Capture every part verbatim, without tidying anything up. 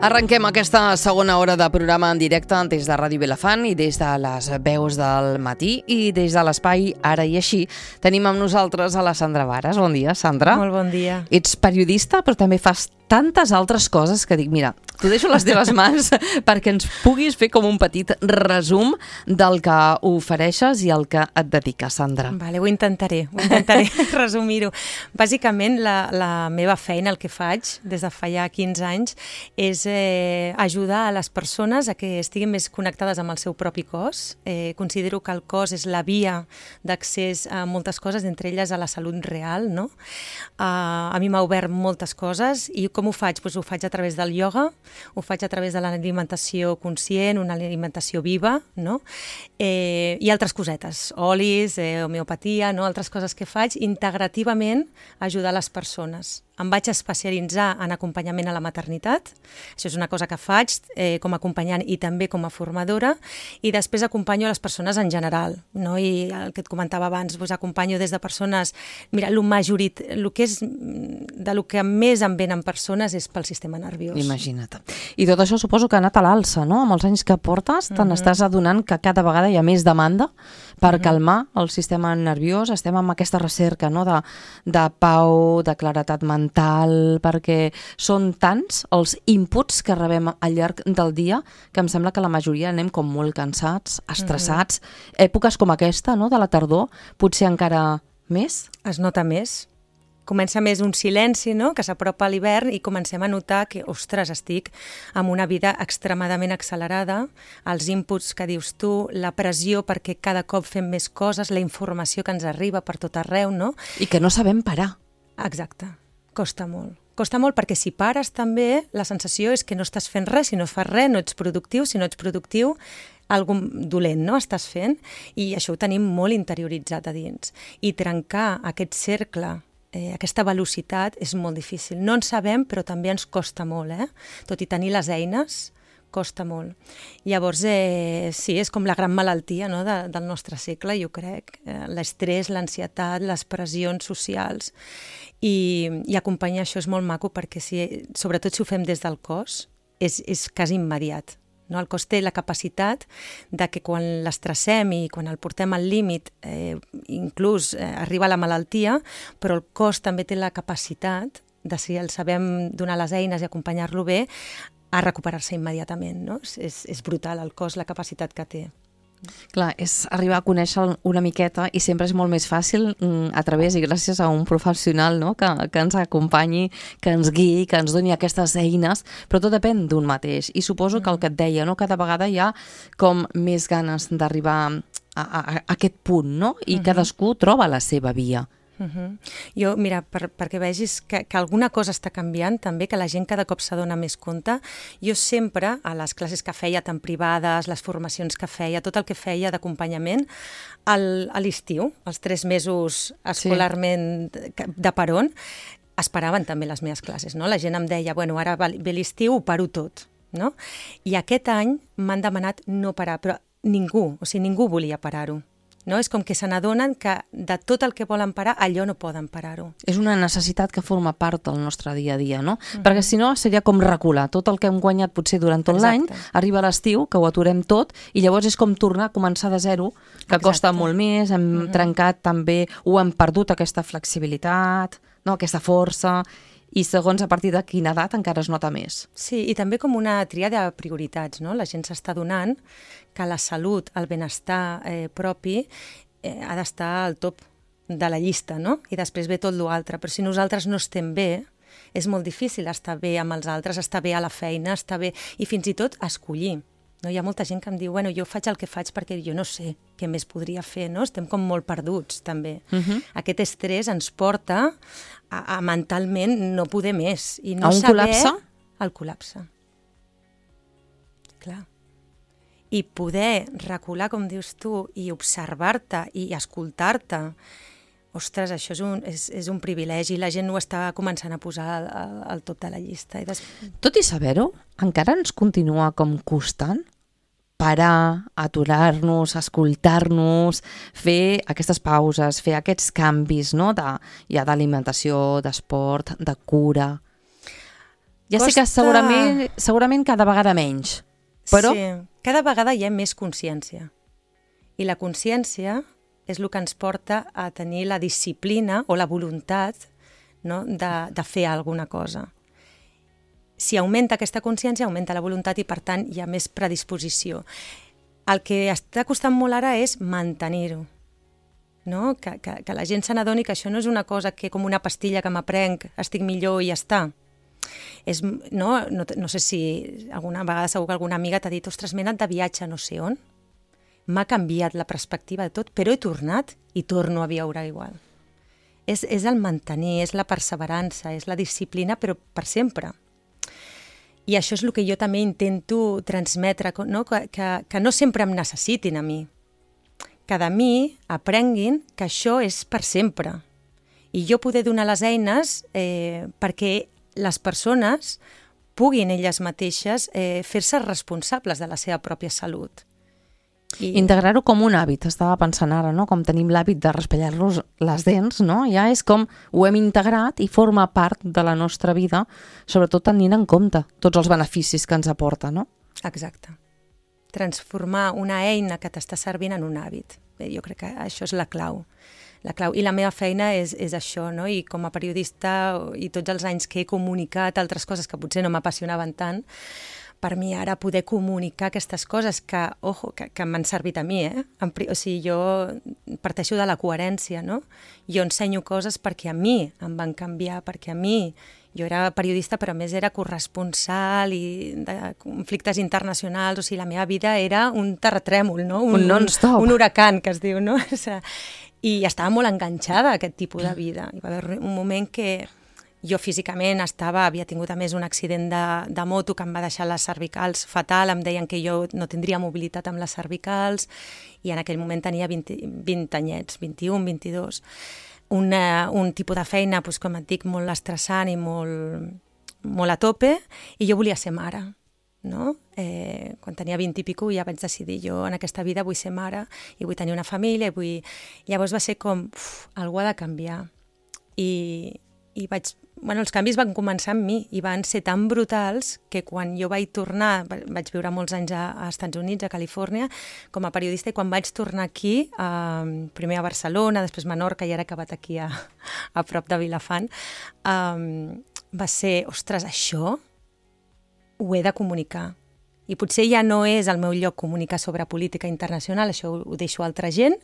Arrenquem aquesta segona hora de programa en directe des de Ràdio Vilafant i des de les veus del matí i des de l'espai Ara i Així. Tenim amb nosaltres a la Sandra Varas. Bon dia, Sandra. Molt bon dia. Ets periodista, però també fas tantes altres coses que dic, mira, t'ho deixo a les teves mans perquè ens puguis fer com un petit resum del que ofereixes i el que et dediques, Sandra. Vale, ho intentaré, ho intentaré resumir-ho. Bàsicament, la, la meva feina, el que faig des de fa ja quinze anys, és eh, ajudar a les persones a que estiguin més connectades amb el seu propi cos. Eh, considero que el cos és la via d'accés a moltes coses, entre elles a la salut real, no? Uh, a mi m'ha obert moltes coses i com ho faig? Pues ho faig a través del ioga, ho faig a través de l'alimentació conscient, una alimentació viva, no? Eh, i altres cosetes, olis, eh, homeopatia, no? Altres coses que faig integrativament a ajudar les persones. Em vaig especialitzar en acompanyament a la maternitat, això és una cosa que faig eh, com a acompanyant i també com a formadora, i després acompanyo a les persones en general, no? I el que et comentava abans, doncs acompanyo des de persones, mira, el majorit, el que és, de lo que més em venen persones és pel sistema nerviós. Imagina't. I tot això suposo que ha anat a l'alça, no? Amb els anys que portes, te n'estàs uh-huh. adonant que cada vegada hi ha més demanda per uh-huh. calmar el sistema nerviós. Estem amb aquesta recerca, no? de, de pau, de claretat mental, perquè són tants els inputs que rebem al llarg del dia que em sembla que la majoria anem com molt cansats, estressats. Uh-huh. Èpoques com aquesta, no? De la tardor, potser encara més? Es nota més. Comença més un silenci, no? Que s'apropa a l'hivern i comencem a notar que, ostres, estic amb una vida extremadament accelerada, els inputs que dius tu, la pressió perquè cada cop fem més coses, la informació que ens arriba per tot arreu, no? I que no sabem parar. Exacte, costa molt. Costa molt perquè si pares també, la sensació és que no estàs fent res, si no fas res no ets productiu, si no ets productiu algun dolent, no? Estàs fent, i això ho tenim molt interioritzat a dins. I trencar aquest cercle, Eh, aquesta velocitat és molt difícil. No en sabem, però també ens costa molt, eh? Tot i tenir les eines, costa molt. Llavors, eh, sí, és com la gran malaltia, no? de, del nostre segle, jo crec. Eh, l'estrès, l'ansietat, les pressions socials. I, i acompanyar això és molt maco perquè, si, sobretot si ho fem des del cos, és, és quasi immediat. No? El cos té la capacitat de que quan l'estressem i quan el portem al límit, eh, inclús eh, arriba la malaltia, però el cos també té la capacitat, de si el sabem donar les eines i acompanyar-lo bé, a recuperar-se immediatament. No? És, és brutal el cos, la capacitat que té. Clar, és arribar a conèixer una miqueta i sempre és molt més fàcil a través i gràcies a un professional, no? que, que ens acompanyi, que ens guiï, que ens doni aquestes eines, però tot depèn d'un mateix. I suposo que el que et deia, no? Cada vegada hi ha com més ganes d'arribar a, a, a aquest punt, no? I uh-huh. cadascú troba la seva via. Uh-huh. Jo, mira, per, perquè vegis que, que alguna cosa està canviant també, que la gent cada cop s'adona més compte, jo sempre, a les classes que feia tan privades, les formacions que feia, tot el que feia d'acompanyament, al, a l'estiu, els tres mesos escolarment sí. de peron, esperaven també les meves classes, no? La gent em deia, bueno, ara ve l'estiu, ho paro tot, no? I aquest any m'han demanat no parar, però ningú, o sigui, ningú volia parar-ho. No? És com que se n'adonen que de tot el que volen parar, allò no poden parar-ho. És una necessitat que forma part del nostre dia a dia, no? Uh-huh. Perquè si no seria com recular. Tot el que hem guanyat potser durant tot l'any, arriba l'estiu, que ho aturem tot, i llavors és com tornar a començar de zero, que Exacte. Costa molt més, hem uh-huh. trencat també, o hem perdut aquesta flexibilitat, no? Aquesta força, i segons a partir de quina edat encara es nota més. Sí, i també com una tria de prioritats, no? La gent s'està donant que la salut, el benestar eh, propi eh, ha d'estar al top de la llista, no? I després ve tot l'altre. Però si nosaltres no estem bé, és molt difícil estar bé amb els altres, estar bé a la feina, estar bé, i fins i tot escollir. No? Hi ha molta gent que em diu, bueno, jo faig el que faig perquè jo no sé què més podria fer, no? Estem com molt perduts, també. Uh-huh. Aquest estrès ens porta a, a mentalment no poder més. I no a un saber... col·lapse? Al col·lapse. Clar. I poder recular, com dius tu, i observar-te i escoltar-te, ostres, això és un, és, és un privilegi, la gent ho està començant a posar al, al top de la llista. I des... Tot i saber-ho, encara ens continua com costant parar, aturar-nos, escoltar-nos, fer aquestes pauses, fer aquests canvis, no? de, ja d'alimentació, d'esport, de cura. Ja sé que segurament, segurament cada vegada menys, però... Sí, cada vegada hi ha més consciència. I la consciència és el que ens porta a tenir la disciplina o la voluntat, no?, de, de fer alguna cosa. Si augmenta aquesta consciència, augmenta la voluntat i, per tant, hi ha més predisposició. El que està costant molt ara és mantenir-ho. No? Que, que, que la gent se n'adoni que això no és una cosa que com una pastilla que m'aprenc, estic millor i ja està. És, no, no, no sé si alguna vegada segur que alguna amiga t'ha dit ostres, m'he anat de viatge no sé on, m'ha canviat la perspectiva de tot, però he tornat i torno a viure igual. És, és el mantenir, és la perseverança, és la disciplina, però per sempre. I això és el que jo també intento transmetre, no? Que, que, que no sempre em necessitin a mi, que de mi aprenguin que això és per sempre. I jo poder donar les eines eh, perquè les persones puguin elles mateixes eh, fer-se responsables de la seva pròpia salut. I... Integrar-ho com un hàbit, estava pensant ara, no? Com tenim l'hàbit de raspallar-nos les dents, no? Ja és com ho hem integrat i forma part de la nostra vida, sobretot tenint en compte tots els beneficis que ens aporta, no? Exacte. Transformar una eina que t'està servint en un hàbit. Bé, jo crec que això és la clau. La clau. I la meva feina és, és això, no? I com a periodista i tots els anys que he comunicat altres coses que potser no m'apassionaven tant, per mi ara poder comunicar aquestes coses que, ojo, que, que m'han servit a mi, eh? O sigui, jo parteixo de la coherència, no? Jo ensenyo coses perquè a mi em van canviar, perquè a mi, jo era periodista però a més era corresponsal i de conflictes internacionals, o sigui, la meva vida era un terratrèmol, no? Un, un non-stop. Un, un huracan, que es diu, no? O sigui, i estava molt enganxada a aquest tipus de vida. Hi va haver un moment que jo físicament estava, havia tingut a més un accident de, de moto que em va deixar les cervicals fatal, em deien que jo no tindria mobilitat amb les cervicals i en aquell moment tenia vint, vint anyets, vint-i-un, vint-i-dos. Una, un tipus de feina, doncs, com et dic, molt estressant i molt, molt a tope, i jo volia ser mare. No? Eh, quan tenia vint i pico ja vaig decidir, jo en aquesta vida vull ser mare i vull tenir una família, i vull... Llavors va ser com, uf, algú ha de canviar. I, i vaig... Bueno, els canvis van començar amb mi i van ser tan brutals que quan jo vaig tornar, vaig viure molts anys a, a Estats Units, a Califòrnia, com a periodista, i quan vaig tornar aquí, eh, primer a Barcelona, després a Menorca i ara he acabat aquí a, a prop de Vilafant, eh, va ser, ostres, això ho he de comunicar. I potser ja no és el meu lloc comunicar sobre política internacional, això ho, ho deixo a altra gent,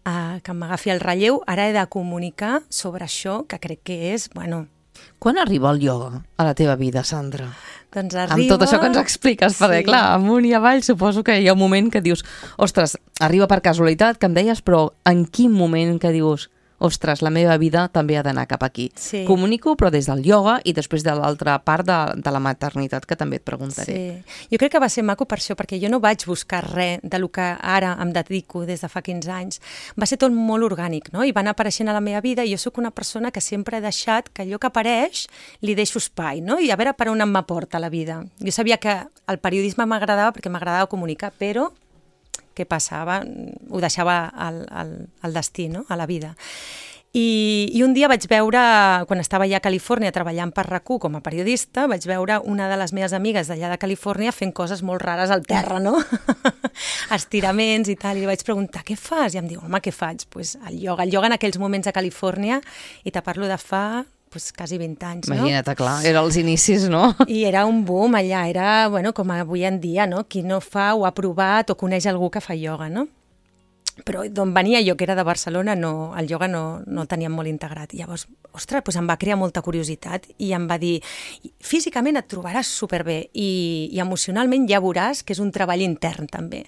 eh, que m'agafi el relleu, ara he de comunicar sobre això que crec que és, bueno... Quan arriba el ioga a la teva vida, Sandra? Doncs arriba... Amb tot això que ens expliques, perquè sí. Clar, amunt i avall suposo que hi ha un moment que dius, ostres, arriba per casualitat, que em deies, però en quin moment que dius, ostres, la meva vida també ha d'anar cap aquí. Sí. Comunico, però des del ioga i després de l'altra part de, de la maternitat, que també et preguntaré. Sí. Jo crec que va ser maco per això, perquè jo no vaig buscar res de lo que ara em dedico des de fa quinze anys. Va ser tot molt orgànic, no? I van apareixent a la meva vida i jo sóc una persona que sempre he deixat que allò que apareix li deixo espai, no? I a veure per on em m'aporta la vida. Jo sabia que el periodisme m'agradava perquè m'agradava comunicar, però què passava? Ho deixava al, al, al destí, no? A la vida. I, I un dia vaig veure, quan estava allà a Califòrnia treballant per RAC u com a periodista, vaig veure una de les meves amigues d'allà de Califòrnia fent coses molt rares al terra, no? Estiraments i tal, i li vaig preguntar, què fas? I em diu, home, què faig? Pues el ioga. El ioga en aquells moments a Califòrnia, i te parlo de fa... pues, quasi vint anys, no? Imagina't, clar, era els inicis, no? I era un boom allà, era, bueno, com avui en dia, no? Qui no fa o ha provat o coneix algú que fa ioga, no? Però d'on venia jo, que era de Barcelona, no, el ioga no, no el teníem molt integrat. I llavors, ostres, doncs em va crear molta curiositat i em va dir, físicament et trobaràs superbé i, i emocionalment ja veuràs que és un treball intern també.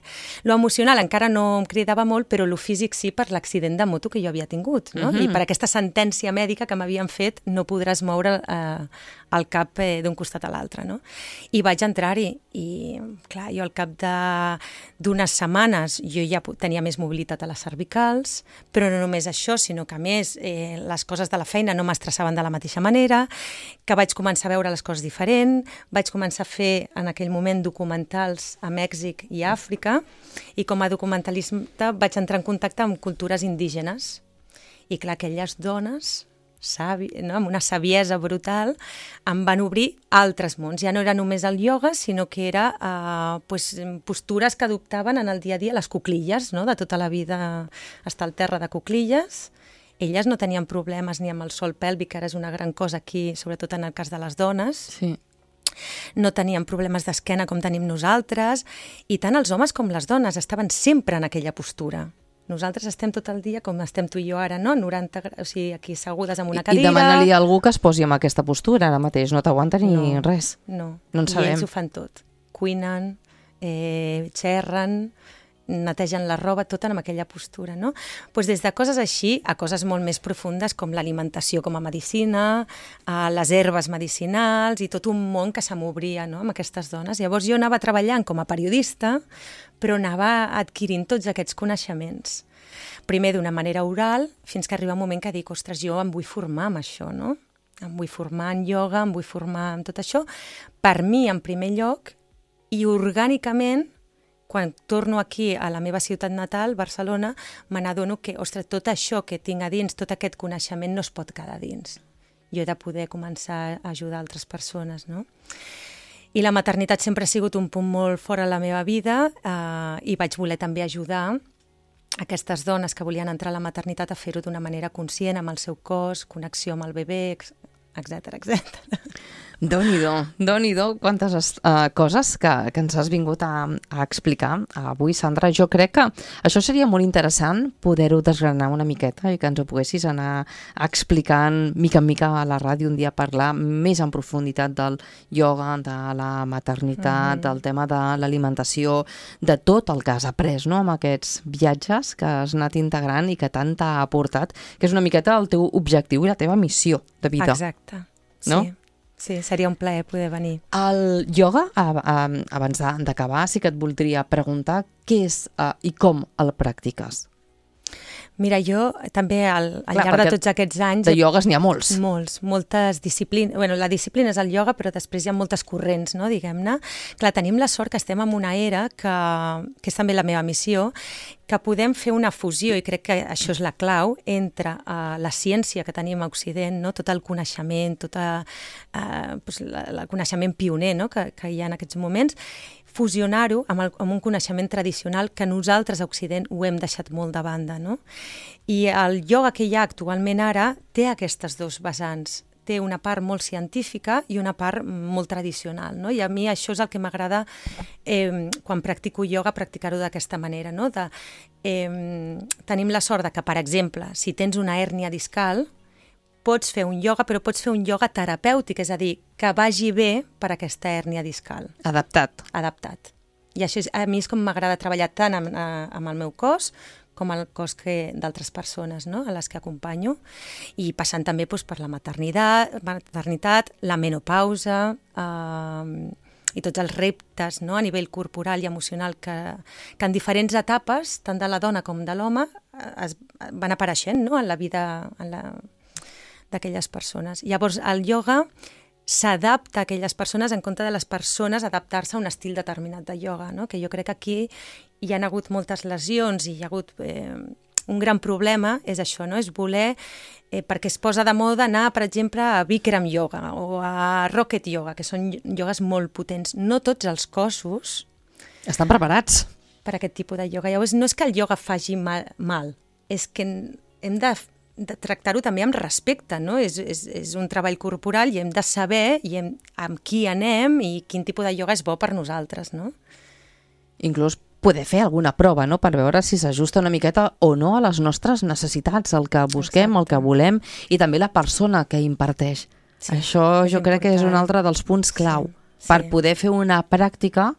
Lo emocional encara no em cridava molt, però lo físic sí, per l'accident de moto que jo havia tingut, no? Uh-huh. I per aquesta sentència mèdica que m'havien fet, no podràs moure eh, el cap eh, d'un costat a l'altre, no? I vaig entrar-hi i, clar, jo al cap d'unes setmanes jo ja tenia més mobilitat a les cervicals, però no només això, sinó que a més eh, les coses de la feina no m'estressaven de la mateixa manera, que vaig començar a veure les coses diferent, vaig començar a fer en aquell moment documentals a Mèxic i a Àfrica, i com a documentalista vaig entrar en contacte amb cultures indígenes. I clar, aquelles dones savi, no? Amb una saviesa brutal, em van obrir altres mons. Ja no era només el ioga, sinó que era eh, pues, postures que adoptaven en el dia a dia, les cuclilles, no? De tota la vida estar al terra de cuclilles. Elles no tenien problemes ni amb el sol pèlvic, que ara és una gran cosa aquí, sobretot en el cas de les dones. Sí. No tenien problemes d'esquena com tenim nosaltres, i tant els homes com les dones estaven sempre en aquella postura. Nosaltres estem tot el dia com estem tu i jo ara, no? noranta graus, o sigui, aquí assegudes en una I, cadira. I demana-li a algú que es posi en aquesta postura ara mateix, no t'aguanta ni no, res. No, no en i sabem. ells ho fan tot. Cuinen, eh, xerren, netegen la roba, tot en aquella postura, no? Pues des de coses així a coses molt més profundes com l'alimentació com a medicina, a les herbes medicinals i tot un món que se m'obria, no?, amb aquestes dones. Llavors jo anava treballant com a periodista, però anava adquirint tots aquests coneixements. Primer d'una manera oral, fins que arriba un moment que dic, ostres, jo em vull formar amb això, no? Em vull formar en ioga, em vull formar en tot això, per mi en primer lloc, i orgànicament, quan torno aquí a la meva ciutat natal, Barcelona, me n'adono que, ostres, tot això que tinc a dins, tot aquest coneixement no es pot quedar dins. Jo he de poder començar a ajudar altres persones, no? I la maternitat sempre ha sigut un punt molt fora de la meva vida eh, i vaig voler també ajudar aquestes dones que volien entrar a la maternitat a fer-ho d'una manera conscient, amb el seu cos, connexió amb el bebè, etcètera, etcètera. Déu-n'hi-do, Déu-n'hi-do, quantes uh, coses que, que ens has vingut a, a explicar avui, Sandra. Jo crec que això seria molt interessant poder-ho desgranar una miqueta i que ens ho poguessis anar explicant mica en mica a la ràdio, un dia parlar més en profunditat del ioga, de la maternitat, mm-hmm. del tema de l'alimentació, de tot el que has après, no?, amb aquests viatges que has anat integrant i que tant t'ha aportat, que és una miqueta el teu objectiu i la teva missió de vida. Exacte, no? Sí. Sí, seria un plaer poder venir. El ioga, a, a, abans d'acabar, sí que et voldria preguntar què és uh, i com el practiques. Mira, jo també al, al Clar, llarg de tots aquests anys... De iogues n'hi ha molts. Molts, moltes disciplines. Bueno, la disciplina és el ioga, però després hi ha moltes corrents, no?, diguem-ne. Clar, tenim la sort que estem en una era que, que és també la meva missió, que podem fer una fusió, i crec que això és la clau, entre uh, la ciència que tenim a Occident, no?, tot el coneixement, tot uh, pues, la, el coneixement pioner, no?, que, que hi ha en aquests moments, fusionar-ho amb, el, amb un coneixement tradicional que nosaltres a Occident ho hem deixat molt de banda, no? I el ioga que hi ha actualment ara té aquestes dos vessants. Té una part molt científica i una part molt tradicional, no? I a mi això és el que m'agrada eh, quan practico ioga, practicar-ho d'aquesta manera, no? De, eh, tenim la sort de que, per exemple, si tens una hèrnia discal, pots fer un ioga, però pots fer un ioga terapèutic, és a dir, que vagi bé per aquesta hèrnia discal. Adaptat. Adaptat. I això és, a mi és com m'agrada treballar tant amb, amb el meu cos com el cos que d'altres persones, no?, a les que acompanyo, i passant també doncs, per la maternitat, maternitat la menopausa, eh, i tots els reptes, no?, a nivell corporal i emocional que, que en diferents etapes, tant de la dona com de l'home, es van apareixent, no?, en la vida en la, d'aquelles persones. Llavors, el ioga s'adapta a aquelles persones en compte de les persones adaptar-se a un estil determinat de ioga, no?, que jo crec que aquí hi ha hagut moltes lesions i hi ha hagut eh, un gran problema, és això, no?, és voler, eh, perquè es posa de moda anar, per exemple, a Bikram yoga o a Rocket yoga, que són iogues molt potents. No tots els cossos estan preparats per aquest tipus de ioga. Llavors, no és que el ioga faci mal, mal és que hem de de tractar-ho també amb respecte, no? És, és, és un treball corporal i hem de saber i hem, amb qui anem i quin tipus de ioga és bo per nosaltres, no? Inclús poder fer alguna prova, no?, per veure si s'ajusta una miqueta o no a les nostres necessitats, el que busquem, Exacte. el que volem, i també la persona que imparteix. Sí, Això jo crec important. que és un altre dels punts clau sí, per sí. poder fer una pràctica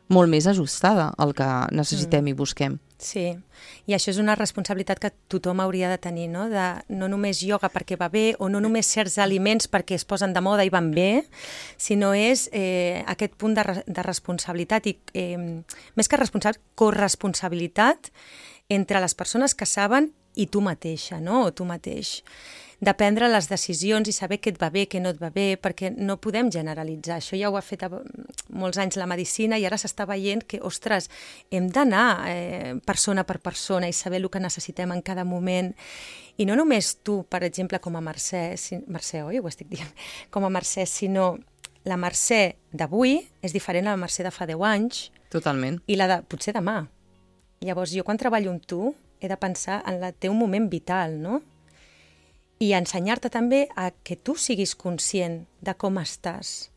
molt més ajustada al que necessitem mm. i busquem. Sí, i això és una responsabilitat que tothom hauria de tenir, no? De no només ioga perquè va bé o no només certs aliments perquè es posen de moda i van bé, sinó és eh, aquest punt de, de responsabilitat i eh, més que responsabilitat, corresponsabilitat entre les persones que saben i tu mateixa, no? O tu mateix. De prendre les decisions i saber què et va bé, què no et va bé, perquè no podem generalitzar. Això ja ho ha fet molts anys la medicina i ara s'està veient que, ostres, hem d'anar eh, persona per persona i saber el que necessitem en cada moment. I no només tu, per exemple, com a Mercè, si... Mercè, oi? Ho estic dient. Com a Mercè, sinó la Mercè d'avui és diferent a la Mercè de fa deu anys. Totalment. I la de potser demà. Llavors, jo quan treballo amb tu he de pensar en el teu moment vital, no? I ensenyar-te també a que tu siguis conscient de com estàs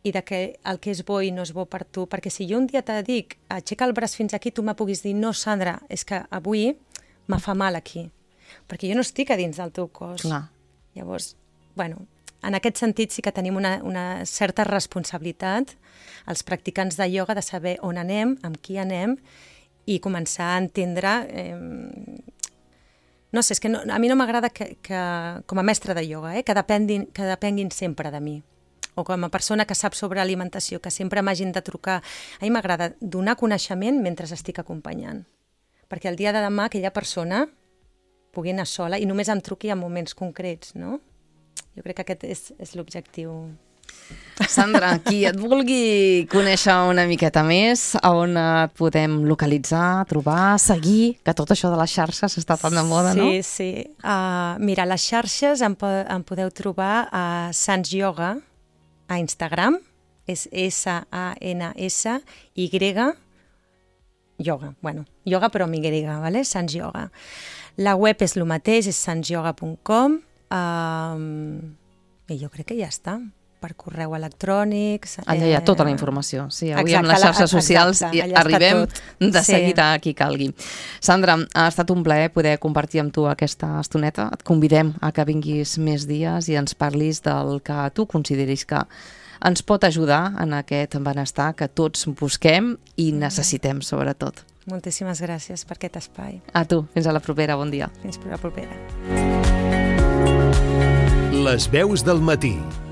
i de que el que és bo i no és bo per tu. Perquè si jo un dia te dic, aixeca el braç fins aquí, tu me puguis dir, no, Sandra, és que avui me fa mal aquí. Perquè jo no estic a dins del teu cos. Clar. Llavors, bueno, en aquest sentit sí que tenim una, una certa responsabilitat, els practicants de ioga, de saber on anem, amb qui anem, i començar a entendre... Eh, no sé, és que no, a mi no m'agrada que, que, com a mestre de ioga, eh, que, depenguin, que depenguin sempre de mi. O com a persona que sap sobre alimentació, que sempre m'hagin de trucar. A mi m'agrada donar coneixement mentre estic acompanyant. Perquè el dia de demà aquella persona pugui anar sola i només em truqui en moments concrets, no? Jo crec que aquest és, és l'objectiu. Sandra, qui et vulgui conèixer una miqueta més, on et podem localitzar, trobar, seguir, que tot això de les xarxes està tan de moda, sí, no? Sí, sí. Uh, mira, les xarxes em, po em podeu trobar a Sans Yoga, a Instagram, és S A N S Y, yoga, bueno, yoga però amb Y, ¿vale? Sans Yoga. La web és el mateix, és sans yoga punt com, um, i jo crec que ja està, per correu electrònic... Allà hi ha tota la informació. Sí, avui exacte, amb les xarxes socials exacte, i arribem de seguida sí. a qui calgui. Sandra, ha estat un plaer poder compartir amb tu aquesta estoneta. Et convidem a que vinguis més dies i ens parlis del que tu consideris que ens pot ajudar en aquest benestar que tots busquem i necessitem, sobretot. Moltíssimes gràcies per aquest espai. A tu. Fins a la propera. Bon dia. Fins a la propera. Les veus del matí.